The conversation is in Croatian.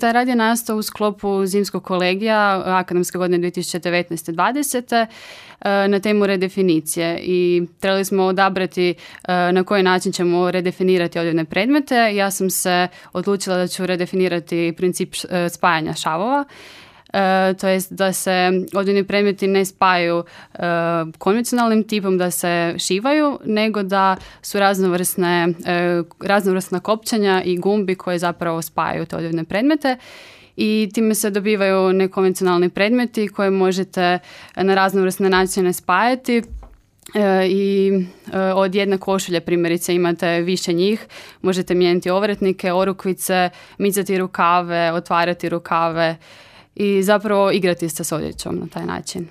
Taj rad je nastao u sklopu zimskog kolegija akademske godine 2019-2020 na temu redefinicije i trebali smo odabrati na koji način ćemo redefinirati odjevne predmete. Ja sam se odlučila da ću redefinirati princip spajanja šavova. To jest da se odjevni predmeti ne spajaju konvencionalnim tipom da se šivaju, nego da su raznovrsna kopčanja i gumbi koje zapravo spajaju te odjevne predmete. I time se dobivaju nekonvencionalni predmeti koje možete na raznovrsne načine spajati. I od jedne košulje primjerice imate više njih, možete mijenjati ovratnike, orukvice, micati rukave, otvarati rukave i zapravo igrati se s odjećom na taj način.